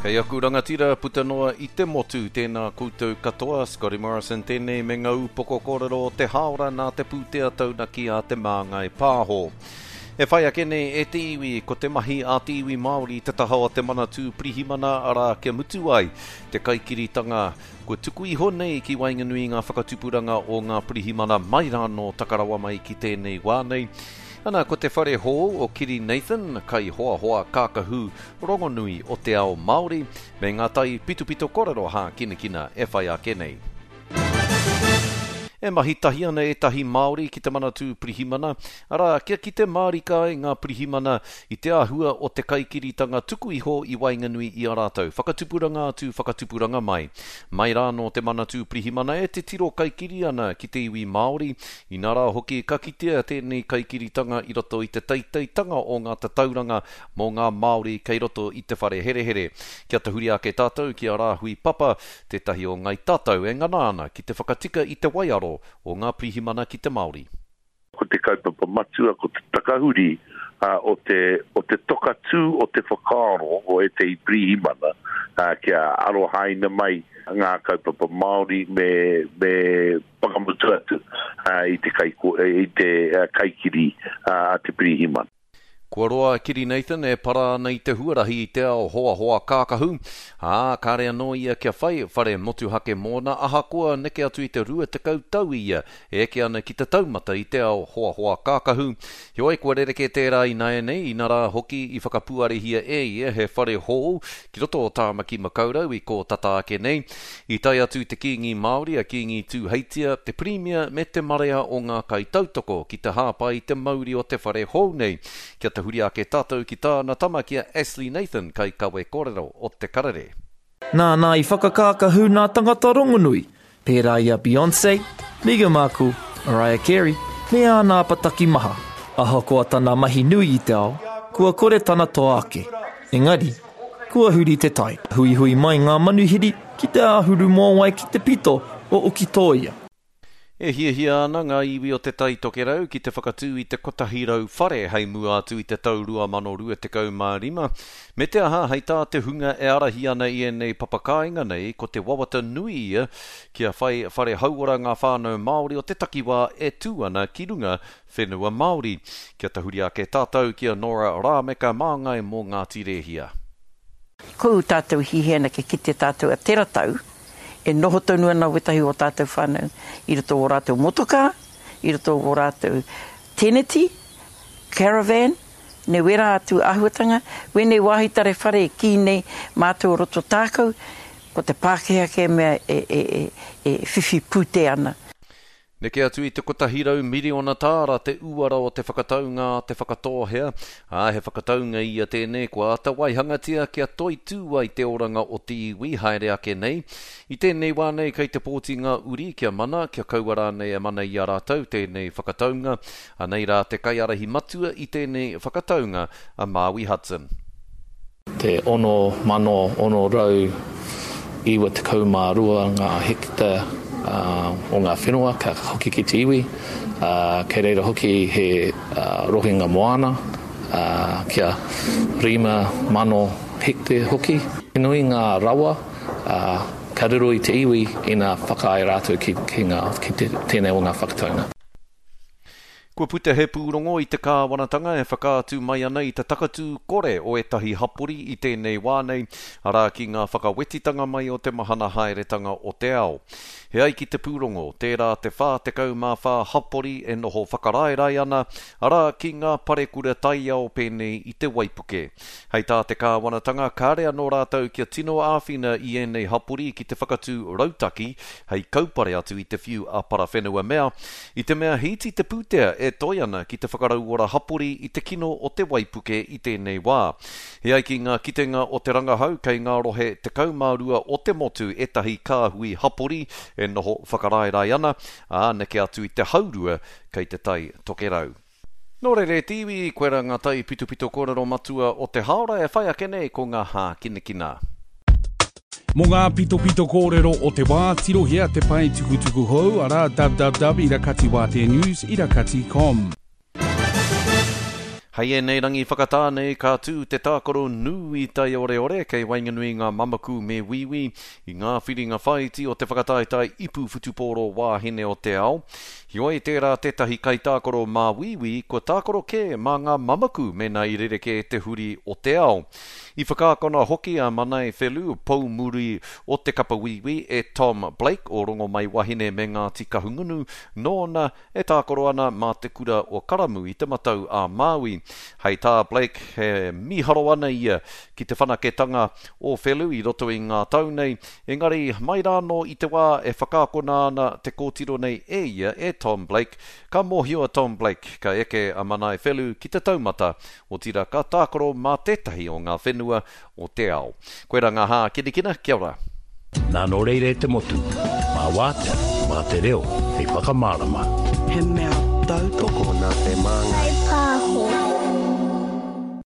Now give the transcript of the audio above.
Kei aku rangatira puta noa i te motu, tēnā koutou katoa, Scotty Morrison tēnei me ngā upoko kōrero o te hāora nā te pūtea taunaki a Te Māngai Pāho. E whai ake nei e te iwi, ko te mahi a te iwi Māori te taha o te Manatū Pirihimana, arā, kia mutu ai te kaikiritanga kua tuku iho nei ki waenganui i ngā whakatupuranga o ngā pirihimana mai rānō taka rawa mai ki tēnei wā nei. Ana, ko te whare hou o Kiri Nathan, kaihoahoa kākahu rongonui o te ao Māori, me ngā tai pitopito korero hākinakina e whai ake nei. E mahi tahi ana ētahi Māori ki te Manatū Pirihimana, arā, kia kite mārika ai ngā pirihimana i te āhua o te kaikiritanga tuku iho i waenganui i a rātou, whakatupuranga atu, whakatupuranga mai. Mai rānō te Manatū Pirihimana e titiro kaikiri ana ki te iwi Māori, inā rā hoki ka kitea tēnei kaikiritanga i roto i te teiteitanga o ngā tatauranga mō ngā Māori kei roto i te whare herehere. Kia tahuri ake tātou ki a Rāhui Papa, tētahi o Ngai Tātou e ngana ana ki te whakatika i te waiaro o ngā pirihimana ki te Māori. Ko te kaupapa matua ko te takahuri o te o te toka tū o te whakaaro o ētehi pirihimana kia arohaina mai ngā kaupapa Māori me me whakamutu atu i te kai i te kaikiri a te pirihimana. Kua roa a Kiri Nathan e para ana i te huarahi i te ao hoahoa kākahu, ā, kāre anō ia kia whai whare motuhake mōna ahakoa neke atu i te 20 tau ia e eke ana ki te taumata i te ao hoahoa kākahu. Heoi, kua rerekē tērā ināianei, inarā hoki i whakapuarehia e ia he whare hou ki roto o Tāmaki Makaurau i kō tata ake nei. I tae atu te Kīngi Māori a Kīngi Tūheitia, te Pirimia me te marea o ngā kaitautoko ki te hāpai i te mauri o te whare hou nei. Kia tahuri ake tātou ki tāna tama ki a Ashley Nathan, kaikawe kōrero o Te Karere. Nāna i whakakākahu nā tangata rongonui, pērā i a Beyonce, Meghan Markle, Mariah Carey, me āna apataki maha. Ahakoa tana mahi nui i te ao, kua kore tana toa ake. Engari, kua huri te tai. Huihui mai ngā manuhiri ki te āhuru mōwai ki te pito o Ukitōia. E hiahia ana ngā iwi o Te Tai Tokerau ki te whakatū i te 100 whare hei mua atu i te tau 2025, me te aha hei tā te hunga e ārahi ana i ēnei papakāinga nei ko te wawata nui ia kia whai whare hauora ngā whānau Māori o te takiwā e tū ana ki runga whenua Māori. Kia tahuri ake tātou ki a Nora Rāmeka māngai mō Ngāti Rēhia. Ko ū tātou hihia ana kia kite tātou a tera tau E noho tonu ana wetahi o tātou whānau i roto o rātou motokā, i roto o rātou teneti, caravan, me wērā atu āhuatanga. Wēnei wāhi tare whare e kī nei mātou o roto tākau, ko te Pākehā kē mea e, e, e, e whiwhi pūtea ana. Neke atu i te 100 miriona tāra te uara o te whakataunga a Te Whakatōhea, ā, he whakataunga ia tēnei kua āta waihangatia kia toitū ai te oranga o te iwi haere ake nei. I tēnei wā nei kei te pōti ngā uri kia mana, kia kaua rānei e mana i a rātou tēnei whakataunga. Anei rā te kaiārahi matua i tēnei whakataunga, a Māui Hudson. Te 6,692 ngā hekita o ngā whenua ka hoki ki te iwi, kei reira hoki he rohenga moana kia 5,000 hekte hoki. He nui ngā rawa ka riro i te iwi ina whakaae rātou ki tēnei o ngā whakataunga. Kua puta he pūrongo i te kāwanatanga e whakaatu mai ana i te takatū kore o ētahi hapori i tēnei wā nei, arā ki ngā whakawetitanga mai o te mahana haeretanga o te ao. He ai ki te pūrongo, tērā te 44 hapori e noho whakaraerae ana, arā, ki ngā parekura taiao pēnei i te waipuke. Hei tā te kāwanatanga, kāre anō rātou kia tino āwhina i ēnei hapori ki te whakatū rautaki hei kaupare atu i te whiu a Parawhenuamea, I te mea he iti te pūtea e toe ana ki te whakarauora hapori i te kino o te waipuke i tēnei wā. E ai ki ngā kitenga o te rangahau kei ngā rohe 12 o te motu ētahi kāhui hapori e noho whakaraerae ana, ā, neke atu i te haurua kei te Tai Tokerau. Nō reira e te iwi, koirā ngā taipitopito kōrero matua o te hāora e whai ake nei ko ngā hākinakina. Mō ngā pitopito kōrero o te wā, tirohia te pae tukutuku hou, arā, www.irakatiwāteanews irakati com. Hei ēnei rangi whakatā nei ka tū te tākaro nui taioreore kei waenganui i ngā mamaku me Wīwī i ngā whiringa whāiti o te whakataetae ipu whutupōro wāhine o te ao. Heoi tērā tētahi kaitākaro mā Wīwī kua tākaro kē mā ngā mamaku mēnā i rerekē te huri o te ao. I whakaakona hoki a Manae Whelu, poumuri o te kapa Wīwī, e Tom Blake o Rongomaiwahine me Ngāti Kahungunu, nōna E tākaro ana mā te kura o Karamu i Te Matau a Māui. Hei tā Blake, he mīharo ana ia ki te whanaketanga o Whelu i roto i ngā tau nei, engari mai rānō i te wā e whakaakona ana te kōtiro nei e ia, e Tom Blake, ka mōhio a Tom Blake ka eke a Manae Whelu ki te taumata, otirā ka tākaro mā tētahi o ngā whenua o te ao. Koirā ngā hākinakina, kia ora. Nā nō reira e te motu, mā Wātea, mā te reo hei whakamārama. He mea tautoko nā te Māngai.